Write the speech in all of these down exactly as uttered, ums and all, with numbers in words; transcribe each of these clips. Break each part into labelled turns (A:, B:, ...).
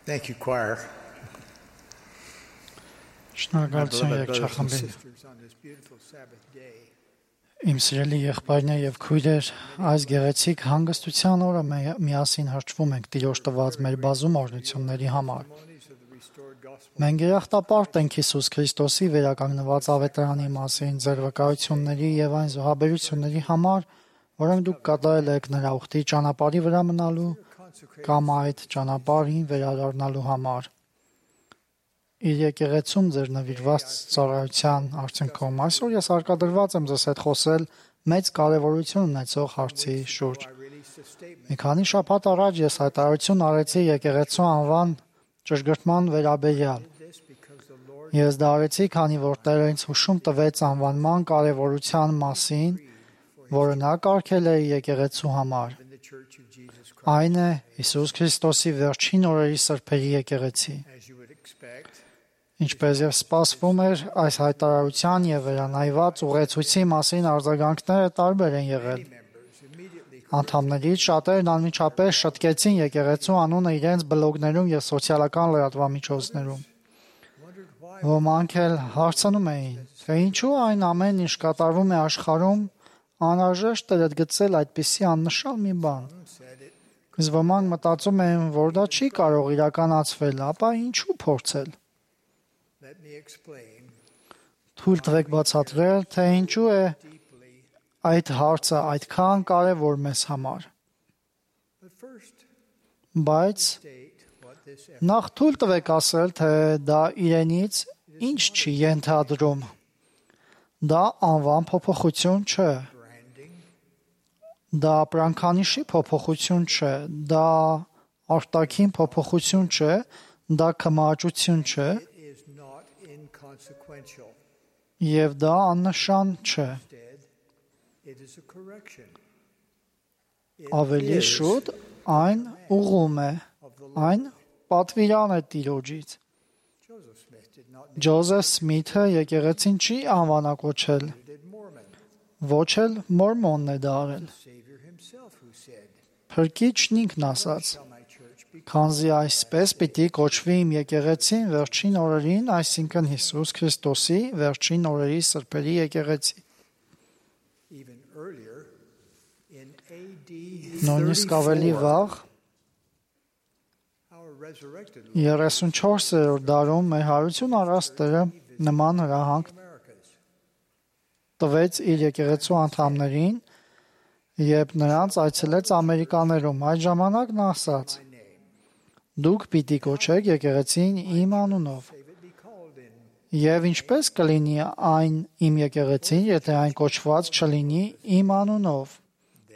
A: Thank you, choir.
B: Շնորհակալություն երգչախմբին։ Իմ սիրելի եղբայրներ եւ քույրեր, այս գեղեցիկ հանգստության օրը միասին հրճվում ենք Տիրոջ տված մեր բազում օրհնությունների համար։ Մենք երախտապարտ ենք Հիսուս Քրիստոսի վերականգնված ավետարանի մասին, ձեր վկայությունների եւ այն զոհաբերությունների համար, որոնք դուք կատարել եք նրա ուխտի ճանապարհի վրա մնալու կամ այդ ճանապարհին վերադառնալու համար։ Իր եկեղեցում ձեր նվիրված ծառայության արդյունքում այսօր ես հարկադրված եմ ձեզ հետ խոսել մեծ կարևորություն ունեցող հարցի շուրջ։ Մի քանի շաբաթ առաջ ես հայտարարություն արեցի եկեղեցու անվան ճշգրտման վերաբերյալ։ Ես դա արեցի, քանի որ Տերը ինձ հուշում տվեց անվանման կարևորության մասին, որը նա կարգել է եկեղեցու համար։ Այն է Հիսուս Քրիստոսի վերջին օրերի սրբերի եկեղեցի։ Ինչպես եւ սպասվում էր, այս հայտարարության եւ վերանայված ուղեցույցի մասին արձագանքները տարբեր են եղել։ Անդամներից շատերն անմիջապես շտկեցին եկեղեցու անունը իրենց բլոգներում եւ սոցիալական լրատվամիջոցներում։ Ոմանք էլ հարցնում էին, թե ինչու այն ամեն ինչ կատարվում է աշխարհում, անհրաժեշտ էր գտնել այդպիսի աննշան մի բան։ Իսկ ոմանք մտածում են, որ դա չի կարող իրականացվել, ապա ինչու փորձել։ Թույլ տվեք բացատրել, թե ինչու է այդ հարցը այդքան կարևոր մեզ համար։ Բայց նախ թույլ տվեք ասել, թե դա իրենից ինչ չի ենթադրում։ Դա անվան փոփոխություն չէ։ Դա ապրանքանիշի փոփոխություն չէ, դա արտաքին փոփոխություն չէ, դա կմաճություն չէ, եւ դա աննշան չէ։ Ավելի շուտ այն ուղղում է, այն պատվիրան է Տիրոջից։ Ջոզեֆ Սմիթը եկեղեցին չի անվանակոչել, ոչ էլ մորմոնն է դա արել։ Փրկիչն ինքն ասաց. «Քանզի այսպես պիտի կոչվի իմ եկեղեցին վերջին օրերին, այսինքն Հիսուս Քրիստոսի վերջին օրերի սրբերի եկեղեցի»։ Նույնիսկ ավելի վաղ երեսունչորսերորդ դարում մեր հարություն առած Տերը նման հրահանգ տվեց իր եկեղեցու անդամներին, երբ նրանց այցելեց Ամերիկաներում։ Այդ ժամանակ նա ասաց. «Դուք պիտի կոչեք եկեղեցին իմ անունով»։ Եվ ինչպես կլինի այն իմ եկեղեցին, եթե այն կոչված չլինի իմ անունով։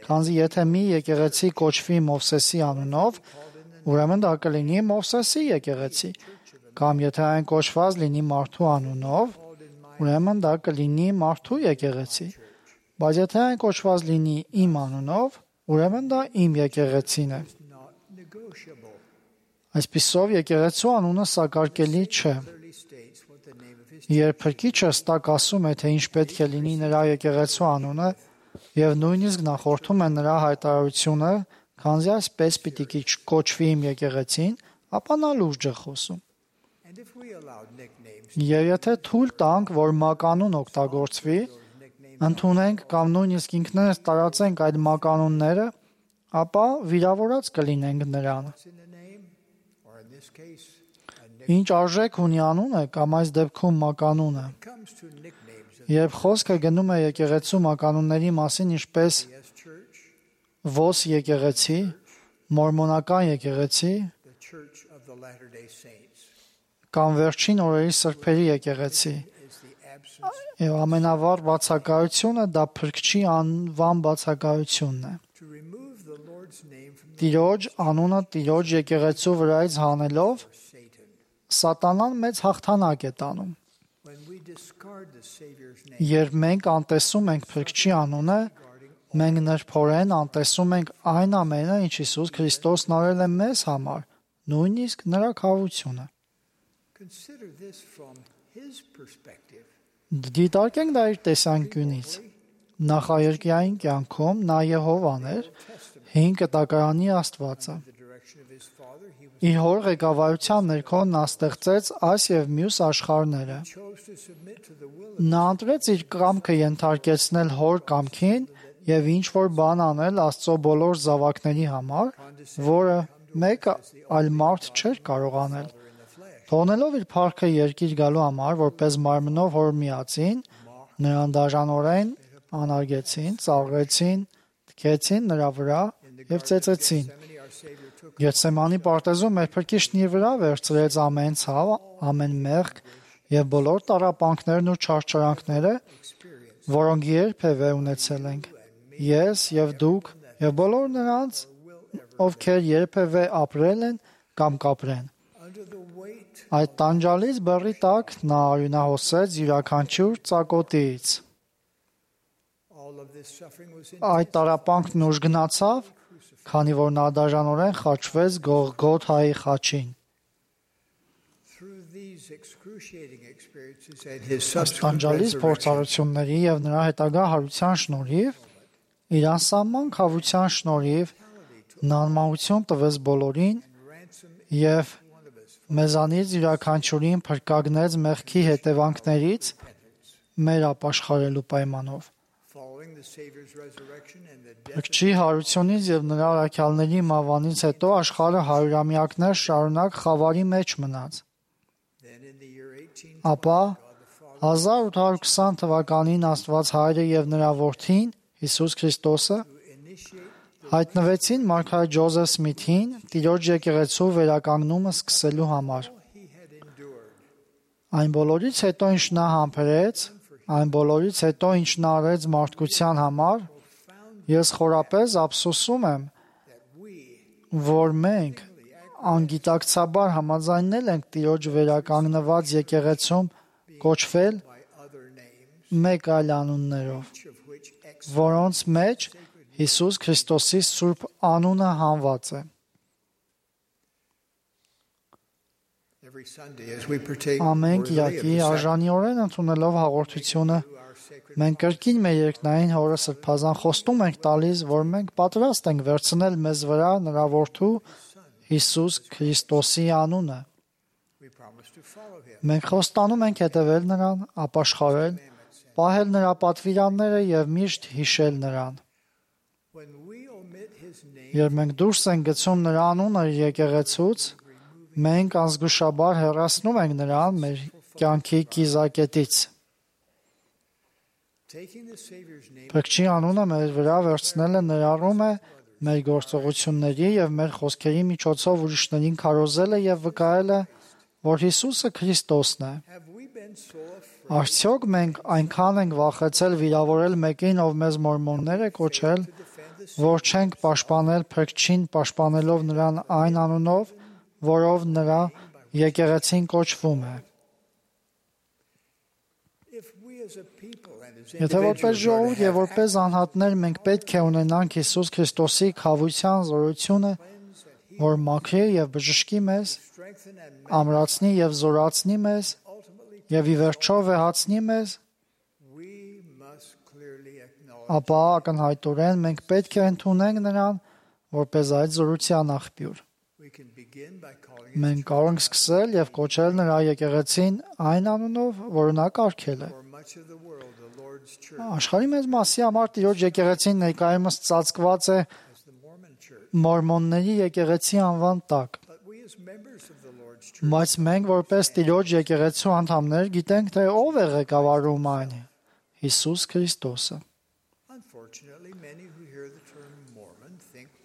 B: Քանզի եթե մի եկեղեցի կոչվի Մովսեսի անունով, ուրեմն դա կլինի Մովսեսի եկեղեցի, կամ եթե այն կոչված լինի մարդու անունով, ուրեմն դա կլինի մարդու եկեղեցի։ Բայց եթե այն կոչված լինի իմ անունով, ուրեմն դա իմ եկեղեցին է։ Այսպիսով եկեղեցու անունը սակարկելի չէ։ Երբ Փրկիչը ստակ ասում է, թե ինչ պետք է լինի նրա եկեղեցու անունը, եւ նույնիսկ նախորդում է նրա հայտարարությունը, քանզի այսպես պիտի կոչվի իմ եկեղեցին, ապա նա լուրջ է խոսում։ Եվ եթե թույլ տանք, որ մականուն օգտագործվի, ընդունենք կամ նույնիսկ ինքներս տարածենք այդ մականունները, ապա վիրավորած կլինենք նրան։ Ինչ արժեք ունի անունը կամ այս դեպքում մականունը։ Երբ խոսքը գնում է եկեղեցու մականունների մասին, ինչպես Վոս եկեղեցի, մորմոնական եկեղեցի կամ վերջին օրերի սրբերի եկեղեցի, եւ ամենավառ բացակայությունը դա Փրկչի անվան բացակայությունն է։ Տիրոջ անունը Տիրոջ եկեղեցու վրայից հանելով, Սատանան մեծ հաղթանակ է տանում։ Երբ մենք անտեսում ենք Փրկչի անունը, մենք նրբորեն անտեսում ենք այն ամենը, ինչ Հիսուս Քրիստոսն արել է մեզ համար, նույնիսկ նրա քավությունը։ Դիտարկենք դա իր տեսանկյունից։ Նախաերկրային կյանքում նա Եհովան էր, հին կտակարանի Աստվածը։ Իր հոր ղեկավարության ներքո նա ստեղծեց այս եւ մյուս աշխարհները։ Նա ընտրեց իր կամքը ենթարկեցնել հոր կամքին եւ ինչ որ բան անել Աստծո բոլոր զավակների համար, որը մեկը այլ մարդ չէր կարող անել։ Թողնելով իր փառքը երկիր գալու համար, որպես մարմնով հոր միածին, նրան դաժանորեն անարգեցին, ծաղրեցին, թքեցին նրա վրա եւ ծեծեցին։ Գեթսեմանի պարտեզում մեր Փրկիչն իր վրա վերցրեց ամեն ցավ, ամեն մեղք եւ բոլոր տառապանքներն ու չարչարանքները, որոնք երբևէ ունեցել ենք։ Ես եւ դուք եւ բոլոր նրանց, ովքեր երբևէ ապրել են կամ կապրեն։ Այդ տանջալից բեռի տակ նա արյունահոսեց յուրաքանչյուր ծակոտից։ Այդ տառապանքն ուժ գնացավ, քանի որ նա դաժանորեն խաչվեց Գողգոթայի խաչին։ Այս տանջալից փորձառությունների եւ նրա հետագա հարության շնորհիվ, իր անսահման քավության շնորհիվ, նա անմահություն տվեց բոլորին եւ մեզանից յուրաքանչյուրին փրկագնեց մեղքի հետևանքներից մեր ապաշխարելու պայմանով։ Փրկչի հարությունից եւ նրա առաքյալների մահվանից հետո աշխարհը հարյուրամյակներ շարունակ խավարի մեջ մնաց։ Ապա հազար ութ հարյուր քսան թվականին Աստված Հայրը եւ նրա Որդին Հիսուս Քրիստոսը հայտնվեցին մարգարետ Ջոզեֆ Սմիթին Տիրոջ եկեղեցու վերականգնումը սկսելու համար։ Այն բոլորից հետո, ինչ նա համբերեց, այն բոլորից հետո, ինչ նա արեց մարդկության համար, ես խորապես ափսոսում եմ, որ մենք անգիտակցաբար համաձայնել ենք Տիրոջ վերականգնված եկեղեցում կոչվել մեկ այլ անուններով, որոնց մեջ Հիսուս Քրիստոսի սուրբ անունը հանված է։ Ամեն կիրակի արժանիորեն ընդունելով հաղորդությունը, մենք կրկին մեր երկնային Հորը սրբազան խոստում ենք տալիս, որ մենք պատրաստ ենք վերցնել մեզ վրա նրա Որդու Հիսուս Քրիստոսի անունը։ Մենք խոստանում ենք հետևել նրան, ապաշխարել, պահել նրա պատվիրանները եւ միշտ հիշել նրան։ Երբ մենք դուրս ենք գցում նրա անունը եկեղեցուց, մենք անզգուշաբար հեռացնում ենք նրան մեր կյանքի կիզակետից։ Փրկչի անունը մեր վրա վերցնելը ներառում է մեր գործողությունների եւ մեր խոսքերի միջոցով ուրիշներին քարոզելը եւ վկայելը, որ Հիսուսը Քրիստոսն է։ Արդյոք մենք այնքան ենք վախեցել վիրավորել մեկին, ով մեզ մորմոններ է կոչել, որ չենք պաշտպանել Փրկչին, պաշտպանելով նրան այն անունով, որով նրա եկեղեցին կոչվում է։ Եթե որպես ժողովուրդ եւ որպես անհատներ մենք պետք է ունենանք Հիսուս Քրիստոսի քավության զորությունը, որ մաքրի եւ բժշկի մեզ, ամրացնի եւ զորացնի մեզ եւ ի վերջո վեհացնի մեզ, ապա ակնհայտորեն մենք պետք է ընդունենք նրան որպես այդ զորության աղբյուր։ Մենք կարող ենք սկսել եւ կոչել նրա եկեղեցին այն անունով, որը նա կարգել է։ Աշխարհի մեծ մասի համար Տիրոջ եկեղեցին ներկայումս ծածկված է մորմոնների եկեղեցի անվան տակ։ Բայց մենք որպես Տիրոջ եկեղեցու անդամներ գիտենք, թե ով է ղեկավարում այն՝ Հիսուս Քրիստոսը։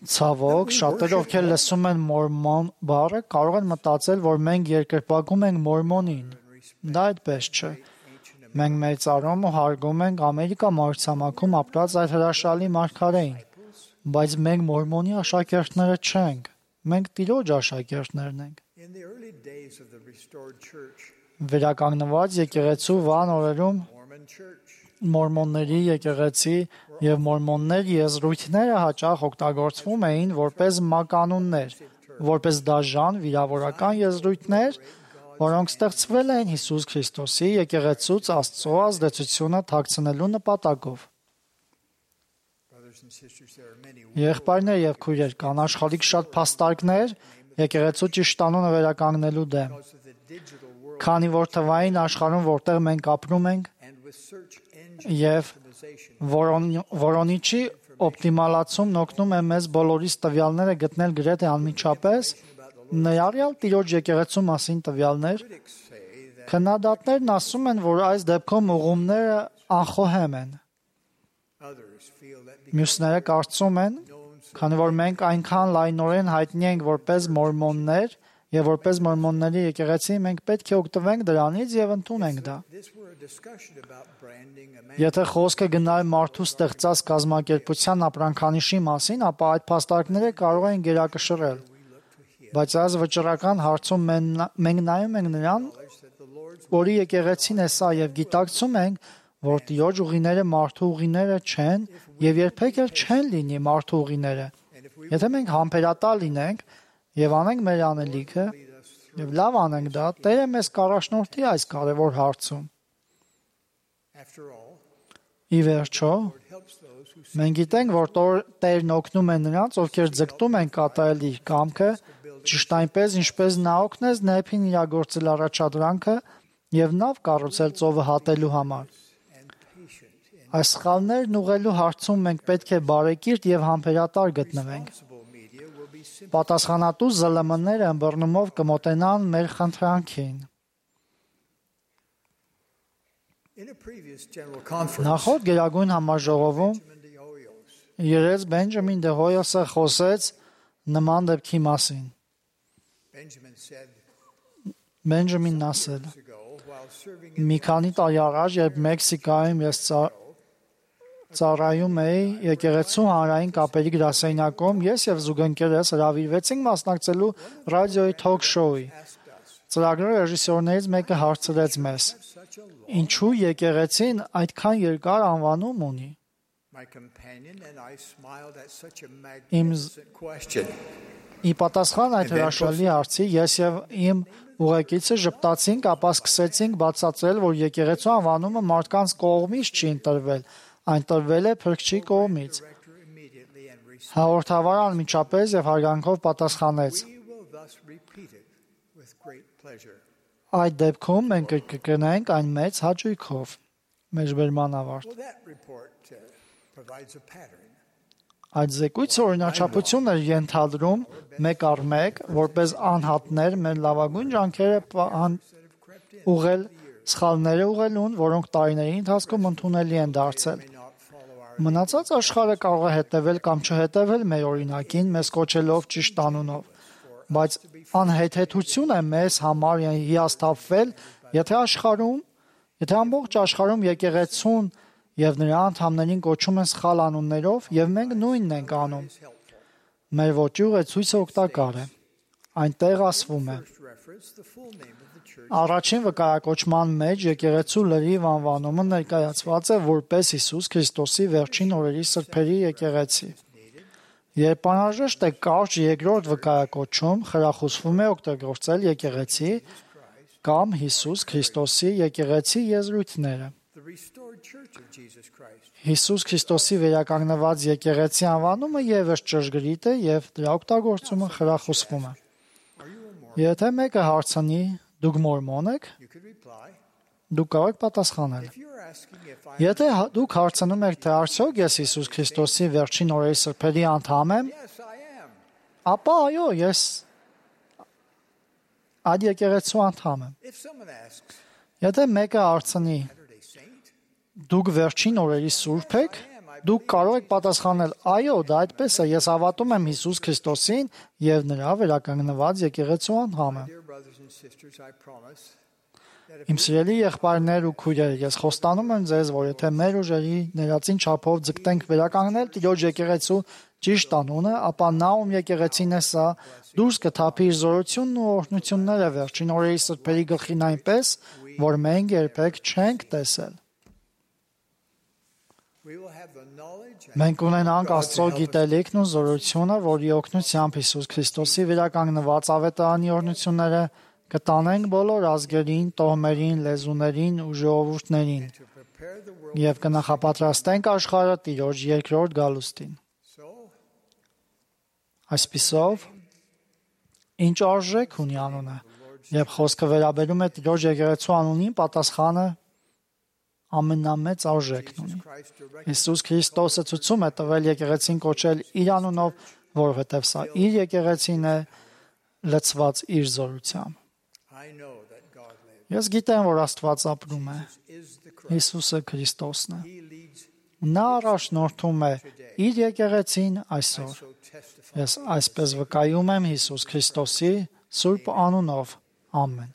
B: Ցավոք, շատերը, ովքեր լսում են մորմոն բառը, կարող են մտածել, որ մենք երկրպագում ենք մորմոնին։ Դա այդպես չէ։ Մենք մեծարում ու հարգում ենք Ամերիկա մայրցամաքում ապրած այդ հրաշալի մարգարեին, բայց մենք մորմոնի աշակերտները չենք։ Մենք Տիրոջ աշակերտներն ենք։ Վերականգնված եկեղեցու վան օրերում մորմոնների եկեղեցի եւ մորմոններ եզրույթները հաճախ օգտագործվում էին որպես մականուններ, որպես դաժան վիրավորական եզրույթներ, որոնք ստեղծվել են Հիսուս Քրիստոսի եկեղեցուց Աստծո ազդեցությունը թաքցնելու նպատակով։ Եղբայրներ եւ քույրեր, կան աշխարհիկ շատ փաստարկներ եկեղեցու ճիշտ անունը վերականգնելու դեմ։ Քանի որ թվային աշխարհում, որտեղ մենք ապրում ենք, եւ որոնիչի օպտիմալացումն օգնում է մեզ բոլորիս տվյալները գտնել գրեթե անմիջապես, ներառյալ Տիրոջ եկեղեցու մասին տվյալներ, քննադատներն ասում են, որ այս դեպքում ուղումները անխոհեմ են։ Մյուսները կարծում են, քանի որ մենք այնքան լայնորեն հայտնի ենք որպես մորմոններ եւ որպես մորմոնների եկեղեցի, մենք պետք է օգտվենք դրանից եւ ընդունենք դա։ Եթե խոսքը գնար մարդու ստեղծած կազմակերպության ապրանքանիշի մասին, ապա այդ փաստարկները կարող են գերակշռել։ Բայց այս վճռական հարցում մենք նայում ենք նրան, որի եկեղեցին է սա եւ գիտակցում ենք, որ Տիրոջ ուղիները մարդու ուղիները չեն եւ երբեք էլ չեն լինի մարդու ուղիները։ Եթե մենք համբերատար լինենք եւ անենք մեր անելիքը եւ լավ անենք դա, Տերը մեզ կառաջնորդի այս կարևոր հարցում։ Ի վերջո, մենք գիտենք, որ Տերն օգնում է նրանց, ովքեր ձգտում են կատարել իր կամքը, ճիշտ այնպես, ինչպես նա օգնեց Նեփին իրագործել առաջադրանքը եւ նավ կառուցել ծովը հատելու համար։ Այս սխալներն ուղղելու հարցում մենք պետք է բարեկիրթ եւ համբերատար գտնվենք։ Պատասխանատու զլ էմ-ները ըմբռնումով կմոտենան մեր խնդրանքին։ Նախորդ գերագույն համաժողովում երես Բենջամին դե Հոյոսը խոսեց նման դեպքի մասին։ Բենջամինն ասել. Մի քանի տարի առաջ, երբ Մեքսիկայում ես ծառայում էի եկեղեցու հանրային կապերի գրասենյակում, ես եւ զուգընկերս հրավիրվեցինք մասնակցելու ռադիոյի թոք շոուի։ Ծրագրի ռեժիսորներից մեկը հարցրեց մեզ. Ինչու եկեղեցին այդքան երկար անվանում ունի։ Իմ ի պատասխան այդ հրաշալի հարցի ես եւ իմ ուղեկիցը ժպտացինք, ապա սկսեցինք բացատրել, որ եկեղեցու անվանումը մարդկանց կողմից չի ընտրվել, այն տրվել է Փրկչի կողմից։ Հաղորդավարը անմիջապես եւ հարգանքով պատասխանեց. Այդ դեպքում մենք կկրկնենք այն մեծ հաճույքով։ Մեջբերման ավարտ։ Այդ զեկույցը օրինաչափություն էր ենթադրում մեկ առ մեկ, որպես անհատներ մեր լավագույն ջանքերը ուղղել սխալները ուղղելուն, որոնք տարիների ընթացքում ընդունելի են դարձել։ Մնացած աշխարհը կարող է հետևել կամ չհետևել մեր օրինակին, մեզ կոչելով ճիշտ անունով, բայց անհեթեթություն է մեզ համար հիասթափվել, եթե աշխարհում, եթե ամբողջ աշխարհում եկեղեցուն եւ նրա անդամներին կոչում են սխալ անուններով, եւ մենք նույնն ենք անում։ Մեր ոճի ուղեցույցը օգտակար է։ Այնտեղ ասվում է. Առաջին վկայակոչման մեջ եկեղեցու լրիվ անվանումը ներկայացված է որպես Հիսուս Քրիստոսի վերջին օրերի սրբերի եկեղեցի։ Երբ անհրաժեշտ է կարճ երկրորդ վկայակոչում, խրախուսվում է օգտագործել եկեղեցի կամ Հիսուս Քրիստոսի եկեղեցի եզրույթները։ Հիսուս Քրիստոսի վերականգնված եկեղեցի անվանումը եւս ճշգրիտ է եւ դրա օգտագործումը խրախուսվում է։ Եթե մեկը հարցնի, դուք մորմոն եք, դուք կարող եք պատասխանել։ Եթե դուք հարցնում եք, թե արդյոք ես Հիսուս Քրիստոսի վերջին օրերի սրբերի անդամ եմ, ապա այո, ես այդ եկեղեցու անդամ եմ։ Եթե մեկը հարցնի, դուք վերջին օրերի սուրբ եք, դուք կարող եք պատասխանել. այո, դա այդպես է, ես հավատում եմ Հիսուս Քրիստոսին եւ նրա վերականգնված եկեղեցու անդամ եմ։ Իմ սիրելի եղբայրներ ու քույրեր, ես խոստանում եմ ձեզ, որ եթե մեր ուժերի ներածին չափով ձգտենք վերականգնել Տիրոջ եկեղեցու ճիշտ անունը, ապա նա ում եկեղեցին է սա, դուրս կթափի իր զորությունն ու օրհնությունները վերջին օրերի սրբերի գլխին այնպես, որ մենք երբեք չենք տեսել։ Մենք ունենանք Աստծո գիտելիքն ու զորությունը, որի օգնությամբ Հիսուս Քրիստոսի վերականգնված ավետարանի օրհնությունները կտանենք բոլոր ազգերին, տոհմերին, լեզուներին ու ժողովուրդներին։ Եվ կնախապատրաստենք աշխարհը Տիրոջ երկրորդ գալուստին։ Այսպիսով, ինչ արժեք ունի անունը, երբ խոսքը վերաբերում է Տիրոջ եկեղեցու անունին, պատասխանը ամենամեծ արժեքն ունի։ Հիսուս Քրիստոսը ցույցում է տվել եկեղեցին կոչել իր անունով, որովհետև սա իր եկեղեցին է, լցված իր զորությամբ։ Ես գիտեմ, որ Աստված ապրում է։ Հիսուսը Քրիստոսն է։ Նա առաջնորդում է իր եկեղեցին այսօր։ Ես այսպես վկայում եմ Հիսուս Քրիստոսի սուրբ անունով։ Ամեն։